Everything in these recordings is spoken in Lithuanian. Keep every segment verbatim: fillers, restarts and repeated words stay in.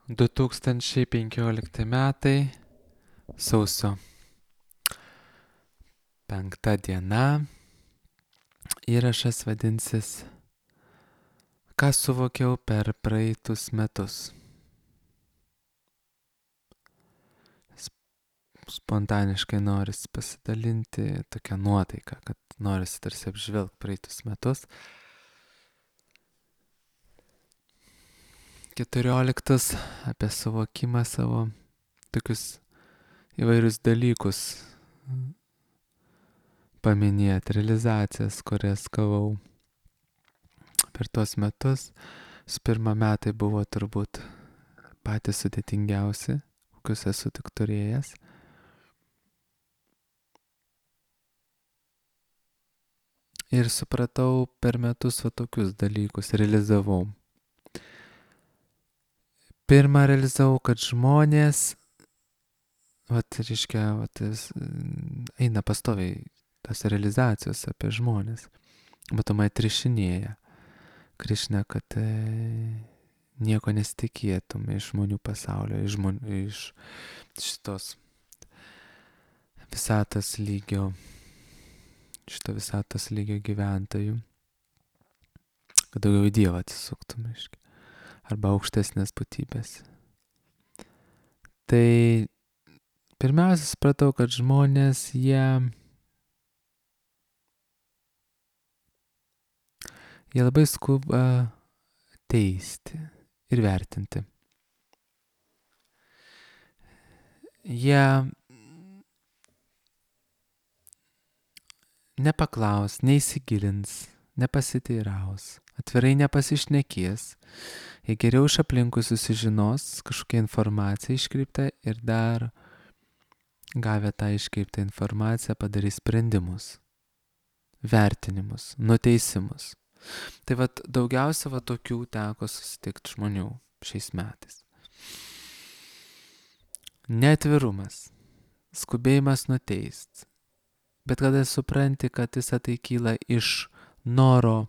du tūkstančiai penkiolikti metai, sausio penkta diena, įrašas vadinsis Ką suvokiau per praeitus metus. Spontaniškai norisi pasidalinti tokią nuotaiką, kad norisi tarsi apžvelgti praeitus metus. keturioliktus apie suvokimą savo tokius įvairius dalykus paminėti, realizacijas, kurias gavau per tuos metus. Su pirma metai buvo turbūt patys sudėtingiausi, kokius esu tik turėjęs. Ir supratau per metus va tokius dalykus, realizavau. Pirmą realizavau, kad žmonės, vat, reiškia, vat, eina pastoviai tas realizacijos apie žmonės. Matomai trišinėja. Krišna, kad e, nieko nesitikėtum iš žmonių pasaulio, iš, žmonių, iš šitos visatos lygio, šito visatos lygio gyventojų, kad daugiau į Dievą atsisuktum, aiškiai, arba aukštesnės būtybės. Tai pirmiausia, supratau, kad žmonės, jie, jie labai skuba teisti ir vertinti. Jie nepaklaus, neįsigilins, nepasiteiraus, atvirai nepasišnekės, jie geriau iš aplinkui susižinos kažkokią informaciją iškreiptą ir dar gavę tą iškreiptą informaciją padarys sprendimus, vertinimus, nuteisimus. Tai vat daugiausia va tokių teko susitikti žmonių šiais metais. Neatvirumas, skubėjimas nuteist. Bet kada supranti, kad visa tai kyla iš noro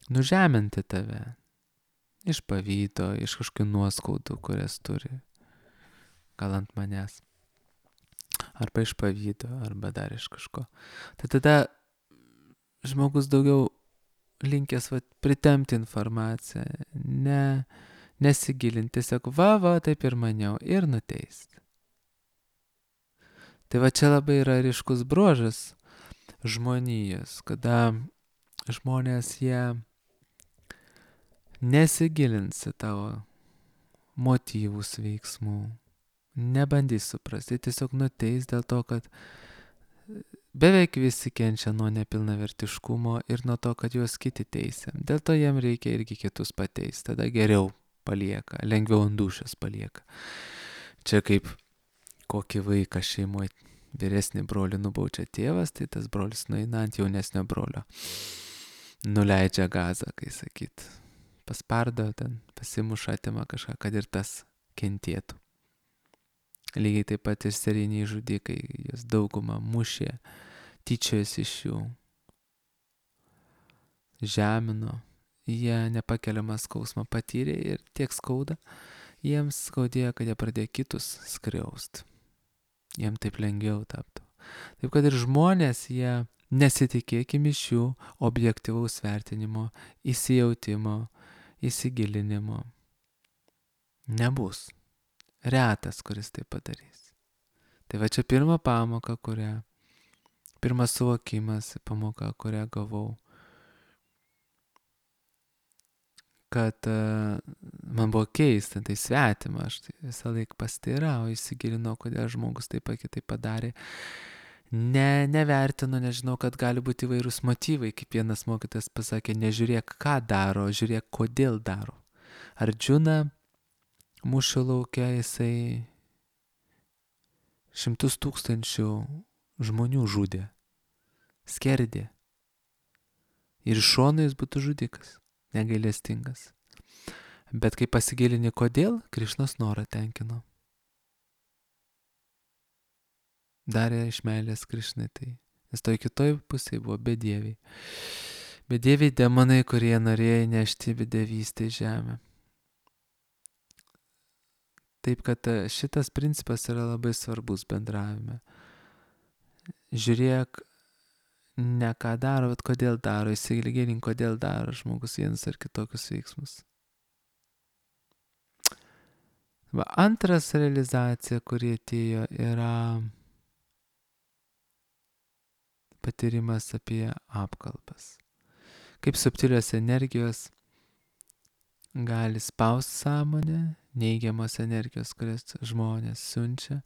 nužeminti tave, iš pavydo, iš kažkokių nuoskaudų, kurias turi, gal ant manęs, arba iš pavydo, arba dar iš kažko. Tai tada žmogus daugiau linkęs va, pritemti informaciją, ne, nesigilinti, tiesiog va, va, taip ir maniau, ir nuteisti. Tai va čia labai yra ryškus bruožas žmonijos, kada žmonės jie nesigilins į tavo motyvus veiksmų, nebandys suprasti, tiesiog nuteis dėl to, kad beveik visi kenčia nuo nepilnavertiškumo ir nuo to, kad juos kiti teisia. Dėl to jiem reikia irgi kitus pateisti, tada geriau palieka, lengviau ant dūšios palieka. Čia kaip kokį vaiką šeimoje vyresnį brolį nubaučia tėvas, tai tas brolis nueina ant jaunesnio brolio. Nuleidžia gazą, kai sakyt. Paspardo ten, pasimuša, atima kažką, kad ir tas kentėtų. Lygiai taip pat ir serijiniai žudikai, jas daugumą mušė, tyčiojasi iš jų, žemino, jie nepakeliamą skausmą patyrė ir tiek skauda, jiems skaudėjo, kad jie pradėjo kitus skriaust. Jiems taip lengviau taptų. Taip kad ir žmonės, jie nesitikėkim iš jų objektyvaus vertinimo, įsijautimo, įsigilinimo. Nebus. Retas, kuris tai padarys. Tai va čia pirma pamoka, kurią, pirmas suvokimas, pamoka, kurią gavau, kad uh, man buvo keista, tai svetima, aš tai visą laiką pasteirau, įsigilinau, kodėl žmogus taip ar kitaip padarė. Ne, nevertinu, nežinau, kad gali būti įvairūs motyvai, kaip vienas mokytas pasakė, nežiūrėk, ką daro, žiūrėk, kodėl daro. Ardžuna mūšio lauke jisai šimtus tūkstančių žmonių žudė, skerdė. Ir iš šono jis būtų žudikas, negailestingas. Bet kai pasigilini kodėl, Krišnos norą tenkino. Darė iš meilės Krišnai tai. Nes toj kitoj pusėje buvo bedieviai. Bedieviai demonai, kurie norėjo nešti bedevystę į žemę. Taip kad šitas principas yra labai svarbus bendravime. Žiūrėk, ne ką daro, bet kodėl daro, įsigilink, kodėl daro žmogus vienus ar kitokius veiksmus. Va, antras realizacija, kuri atėjo, yra patyrimas apie apkalbas. Kaip subtilios energijos gali spausti sąmonę, neigiamos energijos, kurias žmonės siunčia,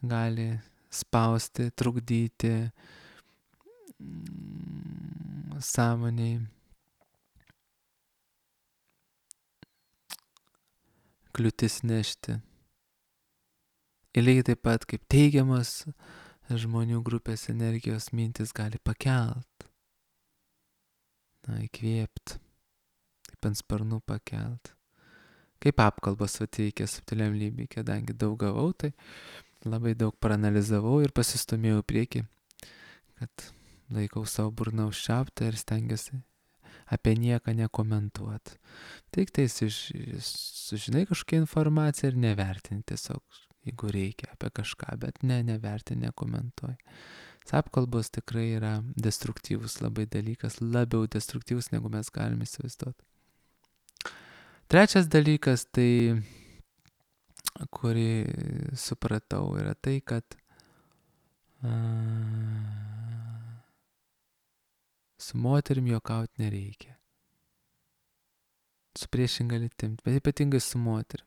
gali spausti, trukdyti sąmoniai, kliūtis nešti. Ir lygiai taip pat kaip teigiamos žmonių grupės energijos mintis gali pakelt, na, įkvėpti, kaip ant sparnų pakelt. Kaip apkalbos veikia subtiliam lygiui, kadangi daug gavau, tai labai daug paranalizavau ir pasistumėjau į priekį, kad laikau savo burną užčiauptą ir stengiuosi apie nieką nekomentuoti. Tik tai sužinai kažkokią informaciją ir nevertini tiesiog, jeigu reikia apie kažką, bet ne, nevertini, nekomentuoji. Apkalbos tikrai yra destruktyvus labai dalykas, labiau destruktyvus, negu mes galime įsivaizduoti. Trečias dalykas, tai, kurį supratau, yra tai, kad a, su moterim juokauti nereikia. Su priešinga lytim, bet ypatingai su moterim.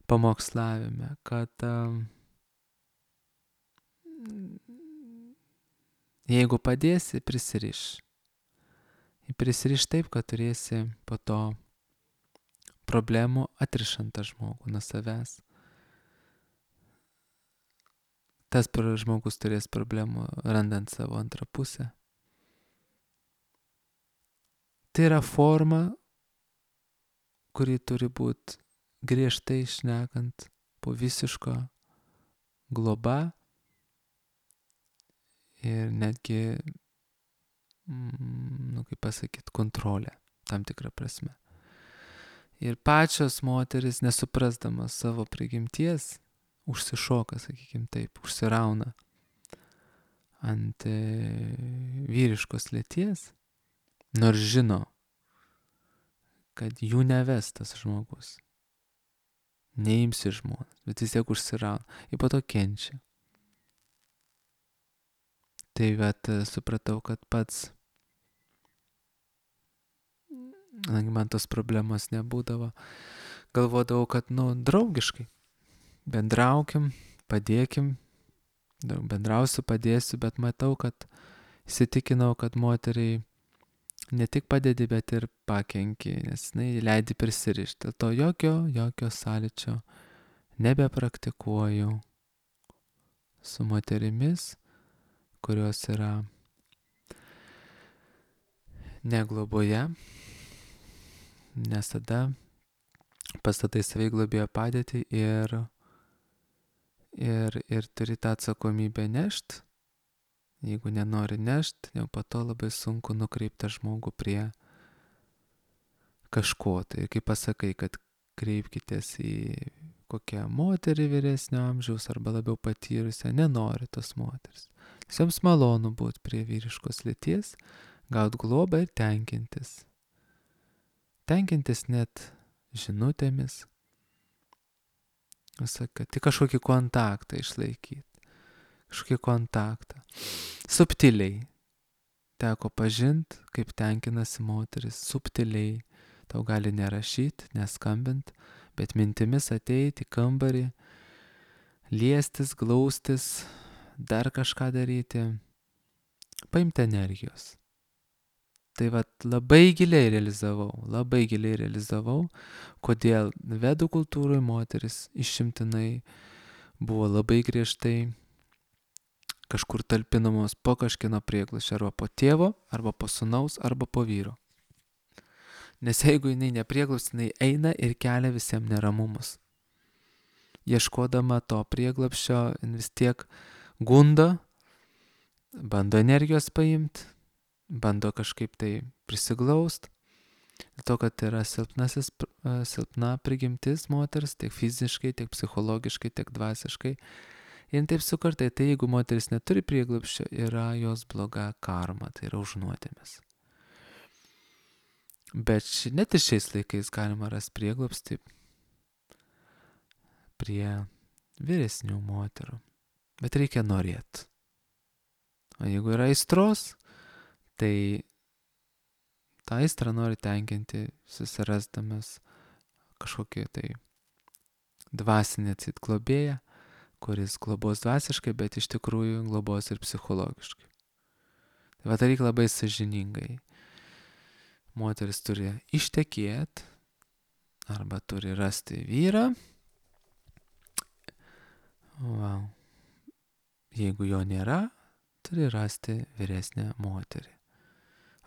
Pamokslavime, kad a, jeigu padėsi, prisiriš. Prisiriš taip, kad turėsi po to problemų atrišant tą žmogų nuo savęs. Tas žmogus turės problemų randant savo antrą pusę. Tai yra forma, kuri turi būti griežtai šnekant po visiško globa ir netgi, nu kaip pasakyti, kontrolė tam tikrą prasme. Ir pačios moteris, nesuprasdamas savo prigimties, užsišoka, sakykim taip, užsirauna ant e, vyriškos lyties, nors žino, kad jų neves tas žmogus, neimsi žmonas, bet vis tiek užsirauna ir po to kenčia. Tai vat supratau, kad pats man tos problemos nebūdavo. Galvodavau, kad, nu, draugiškai. Bendraukim, padėkim, bendrausiu, padėsiu, bet matau, kad įsitikinau, kad moteriai ne tik padedi, bet ir pakenki, nes jinai leidi prisirišti. Dėl to jokio, jokio sąlyčio nebepraktikuoju su moterimis, kurios yra negloboje, nes tada pastatai save į globėjo padėtį ir, ir, ir turi tą atsakomybę nešt. Jeigu nenori nešt, jau po to labai sunku nukreipti žmogų prie kažko. Tai kaip pasakai, kad kreipkitės į kokią moterį vyresnio amžiaus arba labiau patyrusią, nenori tos moteris. Joms malonu būti prie vyriškos lyties, gauti globą ir tenkintis. Tenkintis net žinutėmis. Visaka, tik kažkokį kontaktą išlaikyti. Kažkokį kontaktą. Subtiliai. Teko pažinti, kaip tenkinasi moteris. Subtiliai. Tau gali nerašyti, neskambint, bet mintimis ateiti į kambarį, liestis, glaustis, dar kažką daryti. Paimti energijos. Tai vat labai giliai realizavau, labai giliai realizavau, kodėl vedų kultūroje moteris išimtinai buvo labai griežtai kažkur talpinamos po kažkieno prieglašio, arba po tėvo, arba po sūnaus, arba po vyro. Nes jeigu jinai neprieglaus, jinai eina ir kelia visiems neramumus. Ieškodama to prieglapščio, vis tiek gundo, bando energijos paimti, bando kažkaip tai prisiglaust, Dėl to, kad yra silpnasis, silpna prigimtis moters, tiek fiziškai, tiek psichologiškai, tiek dvasiškai. Ir taip sukartai, tai jeigu moteris neturi prieglobsčio, yra jos bloga karma, tai yra už nuodėmes. Bet ši, net ir šiais laikais galima rasti prieglobstį prie vyresnių moterų. Bet reikia norėti. O jeigu yra aistros, tai tą aistrą nori tenkinti, susirasdamas kažkokį tai dvasinį atsit globėją, kuris globos dvasiškai, bet iš tikrųjų globos ir psichologiškai. Tai va, tai reikia labai sąžiningai. Moteris turi ištekėti arba turi rasti vyrą. Wow. Jeigu jo nėra, turi rasti vyresnę moterį.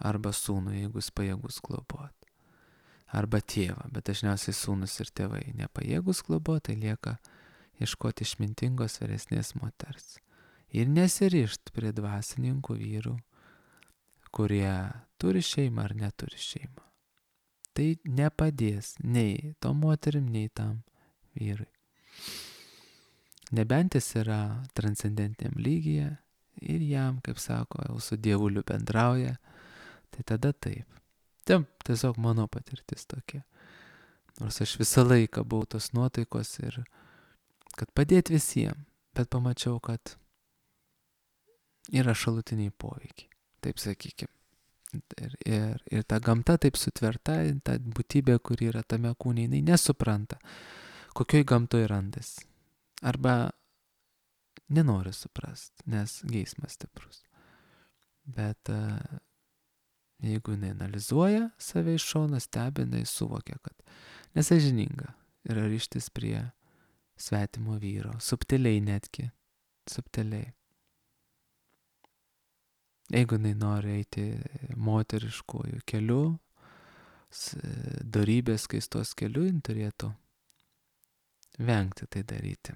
Arba sūnų, jeigu jis pajėgus globoti. Arba tėvą, bet dažniausiai sūnus ir tėvai nepajėgus globoti, tai lieka ieškoti išmintingos vyresnės moters. Ir nesirišt prie dvasininkų vyrų, kurie turi šeimą ar neturi šeimą. Tai nepadės nei tom moterim, nei tam vyrui. Nebent jis yra transcendentiniam lygyje ir jam, kaip sako, jau su dievuliu bendrauja, tai tada taip. Taip, tiesiog mano patirtis tokia. Nors aš visą laiką buvau tos nuotaikos ir kad padėti visiems, bet pamačiau, kad yra šalutiniai poveikiai, taip sakykime. Ir, ir, ir ta gamta taip sutverta, ta būtybė, kuri yra tame kūne, jinai nesupranta, kokioj gamtoj randas. Arba nenori suprast, nes geismas stiprus. Bet uh, jeigu jinai analizuoja save iš šono, stebi, jinai suvokia, kad nesąžininga yra ryštis prie svetimo vyro, subtiliai netgi, subtiliai. Jeigu jinai nori eiti moteriškojų keliu, dorybės skaistos keliu, jin turėtų vengti tai daryti.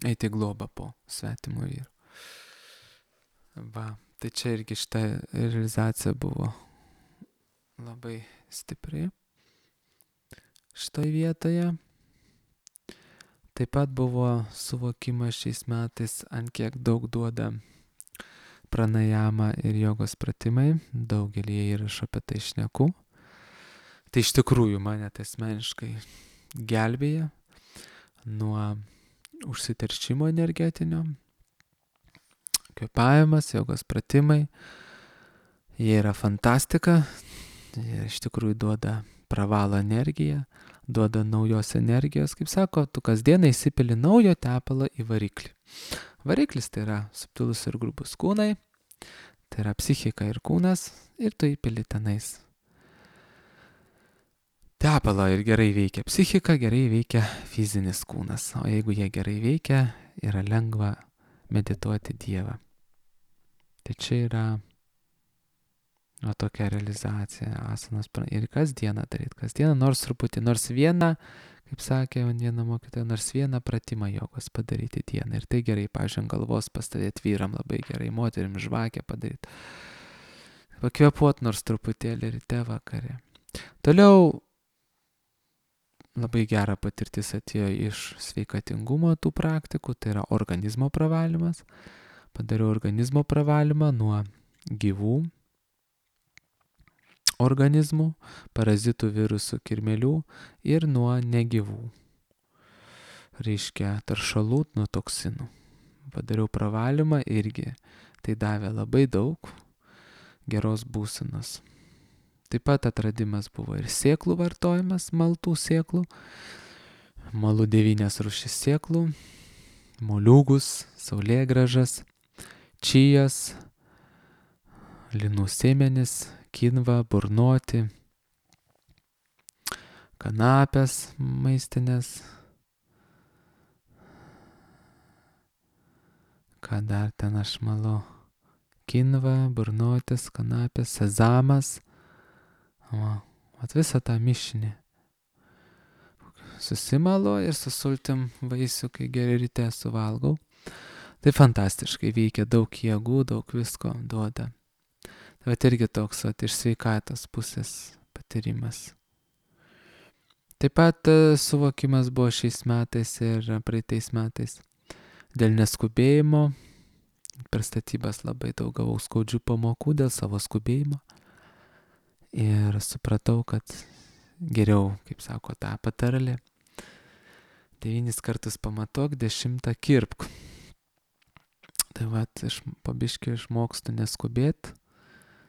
Eiti globą po svetimo vyru. Va, tai čia irgi šita realizacija buvo labai stipri šitoj vietoje. Taip pat buvo suvokimas šiais metais, ant kiek daug duoda pranajama ir jogos pratimai. Daugelį įrašų apie tai šneku. Tai iš tikrųjų mane tai asmeniškai gelbėja nuo užsiteršimo energetinio. Kvėpavimas, jogos pratimai, jie yra fantastika, jie iš tikrųjų duoda pravalo energiją, duoda naujos energijos, kaip sako, tu kasdieną įsipili naujo tepalo į variklį. Variklis tai yra subtilus ir grubus kūnai, tai yra psichika ir kūnas, ir tu įpili tenais tepalo ir gerai veikia psichika, gerai veikia fizinis kūnas, o jeigu jie gerai veikia, yra lengva medituoti Dievą. Tai čia yra o, tokia realizacija asanos ir kasdieną daryti, kasdieną nors truputį, nors vieną, kaip sakė viena mokytoja, nors vieną pratimą jogos padaryti dieną. Ir tai gerai, pavyzdžiui, galvos pastavėti vyram labai gerai, moterim žvakę padaryti. Pakvėpuot nors truputėlį ryte vakare. Toliau labai gera patirtis atėjo iš sveikatingumo tų praktikų, tai yra organizmo pravalymas. Padariau organizmo pravalymą nuo gyvų organizmų, parazitų, virusų, kirmėlių ir nuo negyvų. Reiškia taršalų, nuo toksinų. Padariau pravalymą irgi. Tai davė labai daug geros būsenos. Taip pat atradimas buvo ir sėklų vartojimas, maltų sėklų, malų devynias rūšis sėklų, moliūgus, saulėgrąžas, čijas, linų sėmenis, kinva, burnoti, kanapės maistinės, ką dar ten aš malau, kinva, burnotis, kanapės, sezamas. O, at visą tą mišinį susimalo ir su sultim vaisių, kai gerai ryte suvalgau. Tai fantastiškai veikia, daug jėgų, daug visko duoda. Bet irgi toks, vat, iš sveikatos pusės patyrimas. Taip pat suvokimas buvo šiais metais ir praeitais metais. Dėl neskubėjimo, per statybas labai daug gavau skaudžių pamokų dėl savo skubėjimo. Ir supratau, kad geriau, kaip sako ta patarlė, devynis kartus pamatuok, dešimtą kirpk. Tai vat, iš pabiškai išmokstu neskubėti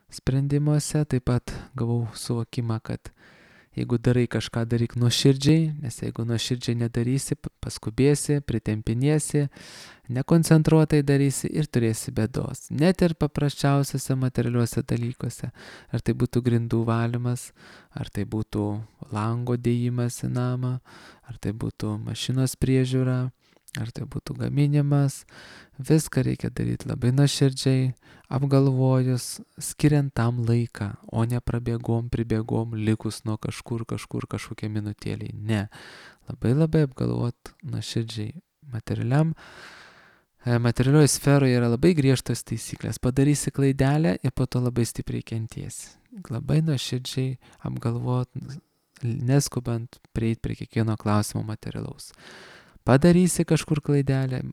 sprendimuose. Taip pat gavau suvokimą, kad jeigu darai kažką, daryk nuoširdžiai, nes jeigu nuoširdžiai nedarysi, paskubėsi, pritempinėsi, nekoncentruotai darysi ir turėsi bėdos. Net ir paprasčiausiuose materialiuose dalykuose. Ar tai būtų grindų valymas, ar tai būtų lango dėjimas į namą, ar tai būtų mašinos priežiūra, ar tai būtų gaminimas. Viską reikia daryti labai nuoširdžiai, apgalvojus, skiriant tam laiką, o ne prabėgom, pribėgom, likus nuo kažkur, kažkur, kažkokie minutėliai. Ne. Labai labai apgalvot nuoširdžiai. Materialiam, materialioje sferoje yra labai griežtos taisyklės. Padarysi klaidelę ir po to labai stipriai kentiesi. Labai nuoširdžiai apgalvot, neskubant prieiti prie kiekvieno klausimo materialaus. Padarysi kažkur klaidelę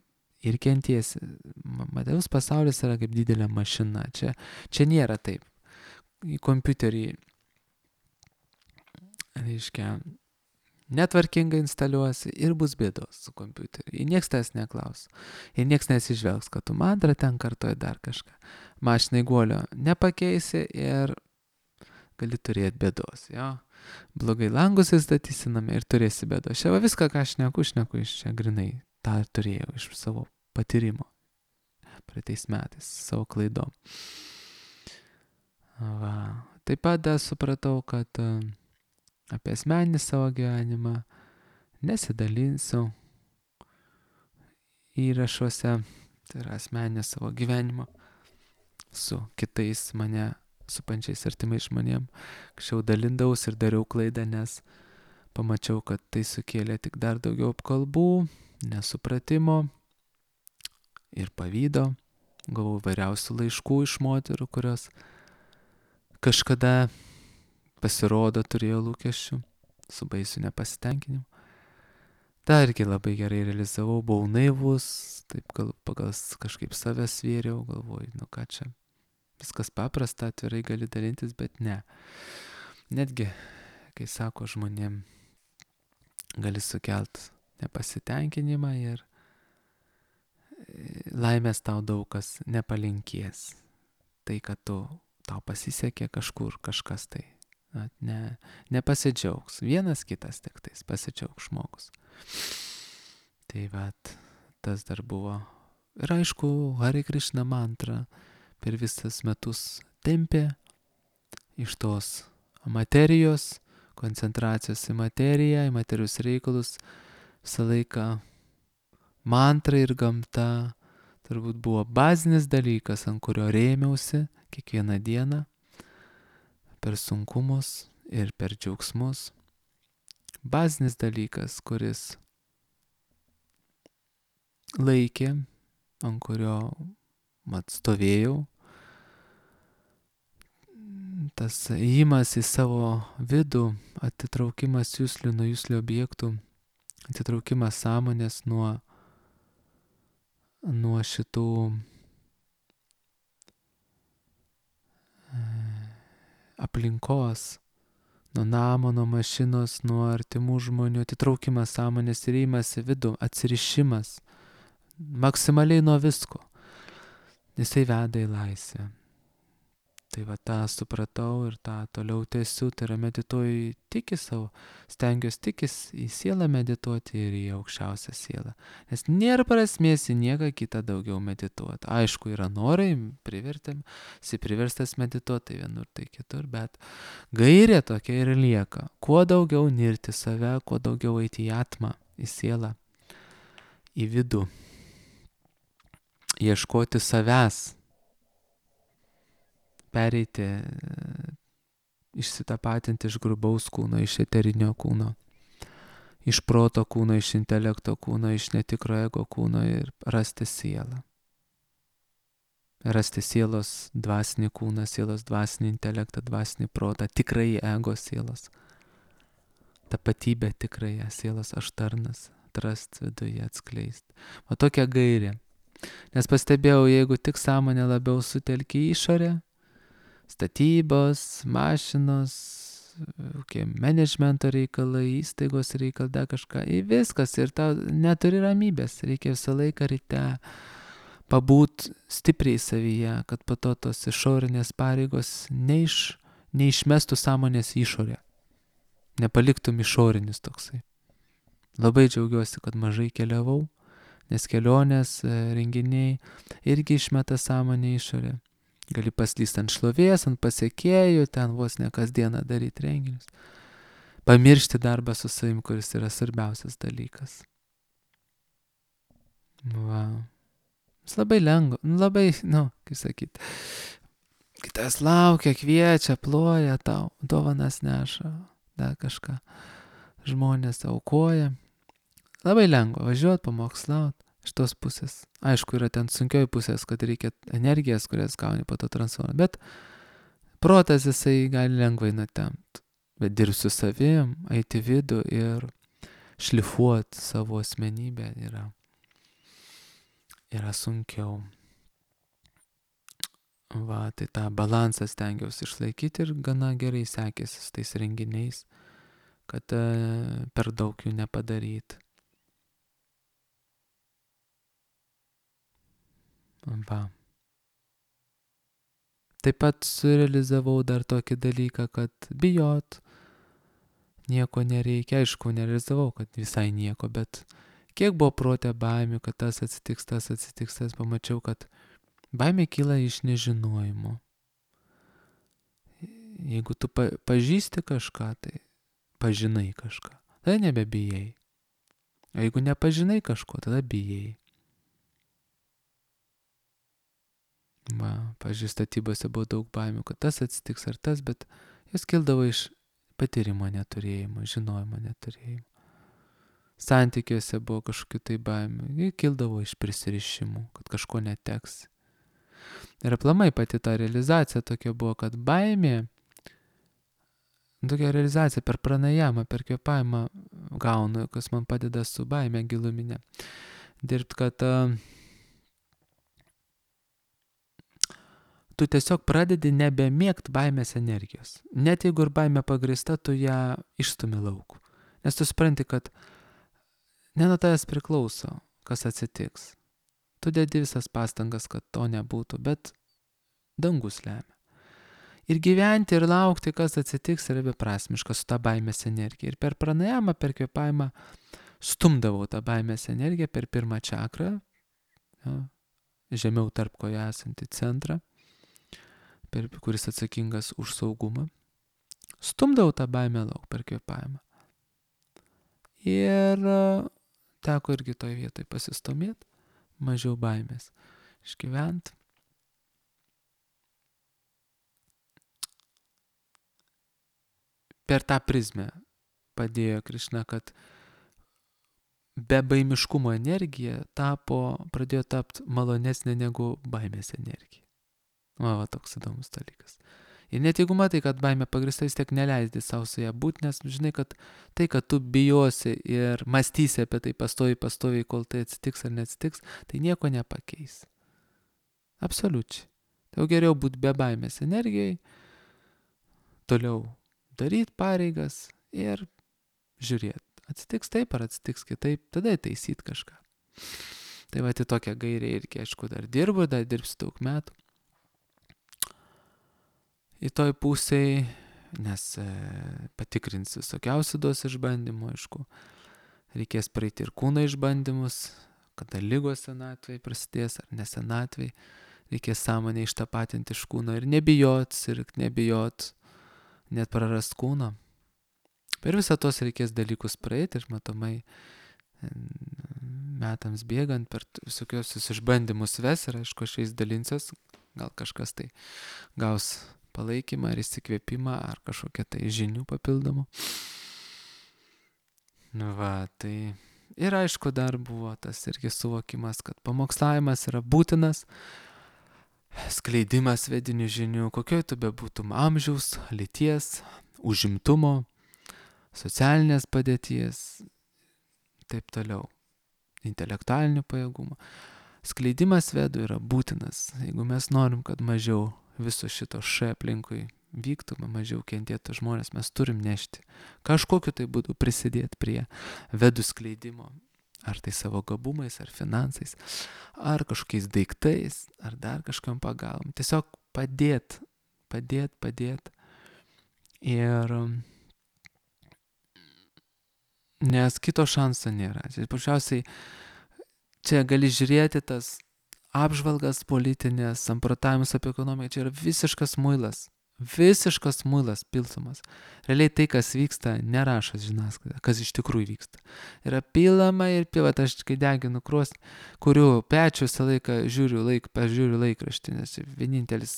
ir kentiesi. Materialus pasaulis yra kaip didelė mašina. Čia, čia nėra taip. Į kompiuterį, reiškia, netvarkingai instaliuosi ir bus bėdos su kompiuteriu. Ir nieks tas neklaus. Ir nieks nesižvelgs, kad tu mantrą ten kartuoji dar kažką. Mašinai guolio nepakeisi ir gali turėti bėdos. Jo? Blogai langus įstatysi name ir turėsi bėdos. Čia va viską, ką aš šneku, šneku iš čia grinai. tą turėjau iš savo patyrimo praeitais metais, savo klaidom. Va. Taip pat dar supratau, kad apie asmeninį savo gyvenimą nesidalinsiu įrašuose, tai yra asmeninė savo gyvenimo su kitais mane supančiais artimais žmonėm. Anksčiau dalindavausi ir dariau klaidą, nes pamačiau, kad tai sukėlė tik dar daugiau apkalbų, nesupratimo ir pavydo. Gavau vairiausių laiškų iš moterų, kurios kažkada pasirodo turėjo lūkesčių su baisiu nepasitenkinimu. Ta irgi labai gerai realizavau, buvau naivus, taip gal, pagal kažkaip save svėriau, galvoju, nu ką čia, viskas paprasta, atvirai gali dalintis, bet ne. Netgi, kai sako žmonėm, gali sukelt nepasitenkinimą ir laimės tau daug kas nepalinkės. Tai, kad tu, tau pasisekė kažkur kažkas tai, ne, nepasidžiaugs. Vienas kitas tik tais pasidžiaugs žmogus. Tai vat, tas dar buvo. Ir aišku, Hare Krishna mantra per visas metus tempė iš tos materijos, koncentracijos į materiją, į materijos reikalus. Visą laiką mantra ir gamta turbūt buvo bazinis dalykas, ant kurio rėmiausi kiekvieną dieną per sunkumus ir per džiaugsmus. Bazinis dalykas, kuris laikė, ant kurio mat stovėjau. Tas įėjimas į savo vidų, atitraukimas juslių nuo juslių objektų, atitraukimas sąmonės nuo, nuo šitų aplinkos, nuo namo, nuo mašinos, nuo artimų žmonių, atitraukimas sąmonės ir įėjimas į vidų, atsirišimas maksimaliai nuo visko. Jisai veda į laisvę. Tai va tą supratau ir tą toliau tęsiu, tai yra medituoju tik į savo, stengiuosi tik į sielą medituoti ir į aukščiausią sielą. Nes nėra prasmės į nieką kitą daugiau medituoti. Aišku, yra norai, privertėm, si priverstas medituoti, tai vienur, tai kitur, bet gairė tokia ir lieka. Kuo daugiau nirti save, kuo daugiau eiti į atmą, į sielą, į vidų, ieškoti savęs. Pereiti, išsitapatinti iš grubaus kūno, iš eterinio kūno, iš proto kūno, iš intelekto kūno, iš netikro ego kūno ir rasti sielą. rasti sielos dvasinį kūną, sielos dvasinį intelektą, dvasinį protą, tikrai ego sielos. Tapatybę tikrąją, sielos aš tarnas, atrast viduje, atskleisti. O tokia gairė. Nes pastebėjau, jeigu tik sąmonę labiau sutelki į išorę, statybos, mašinos, managemento reikalai, įstaigos reikalai, dar kažką, į viskas ir tau neturi ramybės, reikia visą laiką ryte pabūt stipriai savyje, kad po to tos išorinės pareigos neiš, neišmestų sąmonės išorę, nepaliktum išorinis toksai. Labai džiaugiuosi, kad mažai keliavau, nes kelionės, renginiai irgi išmeta sąmonę išorę. Gali paslysti ant šlovės, ant pasiekėjų, ten vos ne kasdieną daryti renginius. Pamiršti darbą su savim, kuris yra svarbiausias dalykas. Va. Jis labai lengva, labai, nu, kaip sakyti, kitas laukia, kviečia, ploja tau, dovanas neša, dar kažką. Žmonės aukoja. Labai lengva važiuoti, pamokslauti. Iš tos pusės. Aišku, yra ten sunkioji pusės, kad reikia energijas, kurias gauni po to transformuoti. Bet protas jisai gali lengvai nutempt. Bet dirbti su savim, eiti vidų ir šlifuoti savo asmenybę yra, yra sunkiau. Va, tai tą balansą stengiausi išlaikyti ir gana gerai sekėsi su tais renginiais, kad e, per daug jų nepadaryti. Va. Taip pat surealizavau dar tokį dalyką, kad bijot nieko nereikia. Aišku, nerealizavau, kad visai nieko, bet kiek buvo prote baimių, kad tas atsitiks, tas atsitiks, tas pamačiau, kad baimė kyla iš nežinojimo. Jeigu tu pa- pažįsti kažką, tai pažinai kažką, tada nebebijai. O jeigu nepažinai kažko, tada bijai. Va, pavyzdžiui, statybose buvo daug baimių, kad tas atsitiks ar tas, bet jos kildavo iš patyrimo neturėjimo, žinojimo neturėjimo. Santykiuose buvo kažkokių tai baimių, jie kildavo iš prisirišimų, kad kažko neteks. Ir aplamai pati ta realizacija tokia buvo, kad baimė, tokia realizacija per pranajamą, per kvėpavimą gaunu, kas man padeda su baime giluminė. Dirbt, kad uh, tu tiesiog pradedi nebemėgt baimės energijos. Net jeigu ir baimė pagrįsta, tu ją išstumi lauk. Nes tu supranti, kad ne nuo tavęs priklauso, kas atsitiks. Tu dedi visas pastangas, kad to nebūtų, bet dangus lemia. Ir gyventi ir laukti, kas atsitiks, yra beprasmiška su ta baimės energija. Ir per pranajamą, per kvėpavimą stumdavau tą baimės energiją per pirmą čakrą, ja, žemiau tarp kojų esantį centrą, per, kuris atsakingas už saugumą. Stumdavau tą baimę lauk per kvėpavimą. Ir teko irgi toj vietoj pasistumėti, mažiau baimės išgyvent. Per tą prizmę padėjo Krišna, kad be baimiškumo energija tapo, pradėjo tapti malonesnė negu baimės energija. Va, va, toks įdomus dalykas. Ir net jeigu matai, kad baimė pagrįsta, vis tiek neleisdi savo su ją būti, nes žinai, kad tai, kad tu bijosi ir mąstysi apie tai pastoviai, pastoviai, kol tai atsitiks ar neatsitiks, tai nieko nepakeis. Absoliučiai. Tai jau geriau būti be baimės energijai, toliau daryti pareigas ir žiūrėti. Atsitiks taip ar atsitiks kitaip, tada taisyti kažką. Tai va, tai tokia gairė irgi, aišku, dar dirbu, dar dirbsiu daug metų. Į toj pusėj, nes e, patikrins visokiausių duos išbandymų, aišku, reikės praeiti ir kūno išbandymus, kada lygos senatvėj prasidės ar nesenatvėj, reikės sąmonę ištapatinti iš kūno ir nebijot, sirgt, nebijot, net prarast kūno. Per visą tos reikės dalykus praeiti ir matomai metams bėgant per visokiausius išbandymus ves ir aišku, aš jais dalinsiuos, gal kažkas tai gaus palaikymą ar įsikvėpimą ar kažkokią tai žinių papildomų. Nu va, tai ir aišku dar buvo tas irgi suvokimas, kad pamokslavimas yra būtinas skleidimas vedinių žinių, kokioj tu bebūtum amžiaus, lyties, užimtumo, socialinės padėties, taip toliau, intelektualinių pajėgumų. Skleidimas vedų yra būtinas, jeigu mes norim, kad mažiau viso šito š aplinkui vyktų, mažiau kentėtų žmonės, mes turim nešti kažkokiu tai būdu prisidėti prie vedų skleidimo, ar tai savo gabumais, ar finansais, ar kažkokiais daiktais, ar dar kažkam pagalbom. Tiesiog padėt, padėt, padėt. Ir nes kito šanso nėra. Paprasčiausiai čia gali žiūrėti tas apžvalgas politinės, samprotavimus apie ekonomiką, čia yra visiškas muilas. Visiškas muilas pilsumas. Realiai tai, kas vyksta, nerašo žiniasklaida, kas iš tikrųjų vyksta. Yra pilama ir pilama, aš kai deginu krosnį, kuriu pečiu visą laiką žiūriu, laik, pažiūriu laikraštį, nes vienintelis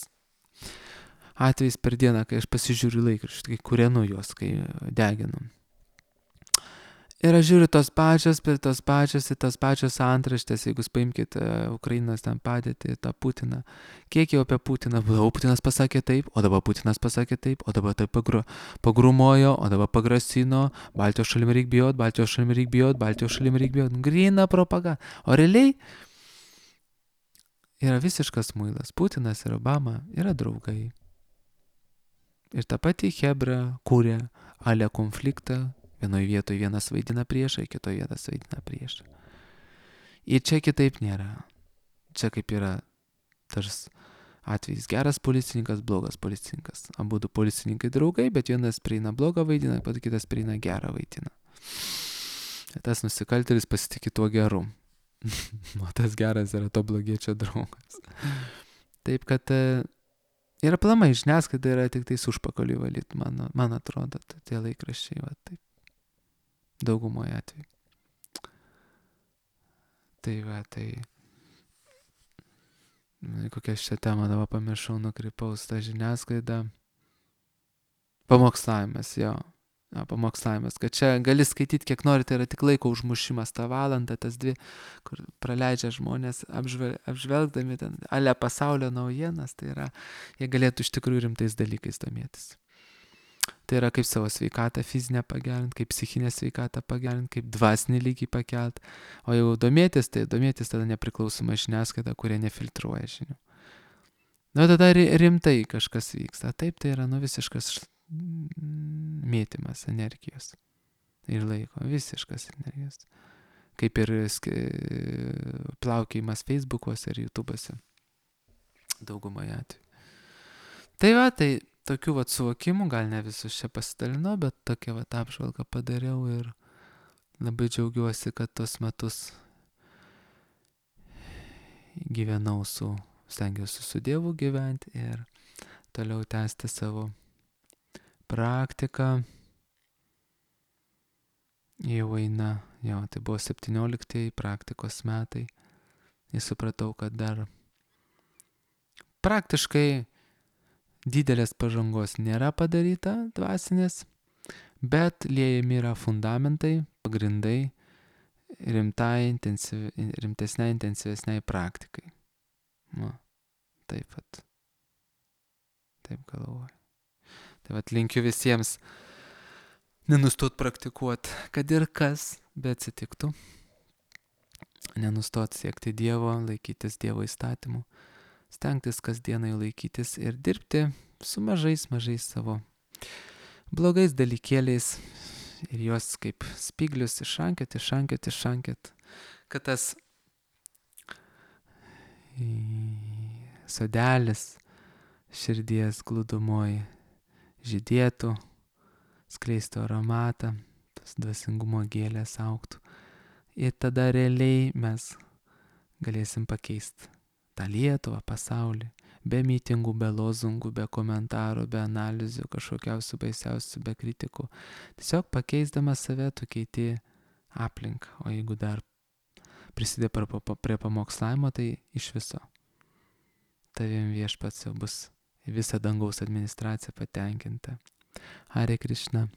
atvejis per dieną, kai aš pasižiūriu laikraštį, kai kūrenu juos, kai deginu. Ir aš žiūriu tos pačios, bet tos pačios ir tos pačios antraštės, jeigu paimkite Ukrainos ten padėtį, tą Putiną. Kiek jau apie Putiną buvo, o Putinas pasakė taip, o dabar Putinas pasakė taip, o dabar taip pagru, pagrumojo, o dabar pagrasino, Baltijos šalim reik bijot, Baltijos šalim reik bijot, Baltijos šalim reik bijot. Grina propaganda. O realiai yra visiškas muilas. Putinas ir Obama yra draugai. Ir ta pati Hebra kūrė ale konfliktą. Vienoje vietoje vienas vaidina priešą, kitoje vienas vaidina priešą. Ir čia kitaip nėra. Čia kaip yra tars atvejis geras policininkas, blogas policininkas. Abudu policininkai draugai, bet vienas prieina blogą vaidina, pat kitas prieina gerą vaidina. Ir tas nusikaltėlis pasitikė tuo geru. O tas geras yra to blogiečio draugas. Taip kad ir aplamai žiniasklaida yra tik tais užpakaliui valyti, man, man atrodo, tie laikraščiai, va taip. Daugumoje atveju. Tai va, tai kokią šią temą dabar pamiršau, nukrypaus tą žiniasklaidą. Pamokslavimas, jo. Ja, pamokslavimas, kad čia gali skaityti kiek nori, tai yra tik laiko užmušimas tą valandą, tas dvi, kur praleidžia žmonės apžvel, apžvelgdami ten ale pasaulio naujienas, tai yra, jie galėtų iš tikrųjų rimtais dalykais domėtis. Tai yra kaip savo sveikatą fizinę pagerinti, kaip psichinę sveikatą pagerinti, kaip dvasinį lygį pakelt. O jau domėtis, tai domėtis tada nepriklausoma žiniasklaida, kurie nefiltruoja žinių. Na, tada rimtai kažkas vyksta. Taip, tai yra nu visiškas mėtymas energijos ir laiko. Visiškas energijos. Kaip ir plaukėjimas Facebook'uose ir YouTube'uose. Daugumoje atveju. Tai va, tai tokių vat suvokimų, gal ne visus čia pasidalinau, bet tokią vat apžvalgą padariau ir labai džiaugiuosi, kad tos metus gyvenau su, stengiausi su Dievu gyventi ir toliau tęsti savo praktiką. Jau eina, jo, tai buvo septynioliktieji praktikos metai ir supratau, kad dar praktiškai didelės pažangos nėra padaryta dvasinės, bet liejami yra fundamentai, pagrindai rimtai, intensyvi, rimtesniai, intensyvesniai praktikai. Nu, taip pat. Taip galvoju. Tai vat linkiu visiems nenustot praktikuoti, kad ir kas beatsitiktų. Nenustot siekti Dievo, laikytis Dievo įstatymų. Stengtis kasdienai laikytis ir dirbti su mažais, mažais savo blogais dalykėliais ir juos kaip spiglius išrankėt, išrankėt, išrankėt, kad tas sodelis širdies glūdumoj žydėtų, skleistų aromatą, tas dvasingumo gėlės augtų. Ir tada realiai mes galėsim pakeisti tą Lietuvą, pasaulį, be mitingų, be lozungų, be komentarų, be analizių, kažkokiausių baisiausių, be kritikų. Tiesiog pakeisdamas save, tu keiti aplinką. O jeigu dar prisidė prie pamokslavimo, tai iš viso. Tavim Viešpats jau bus visa dangaus administracija patenkinta. Hare Krishna.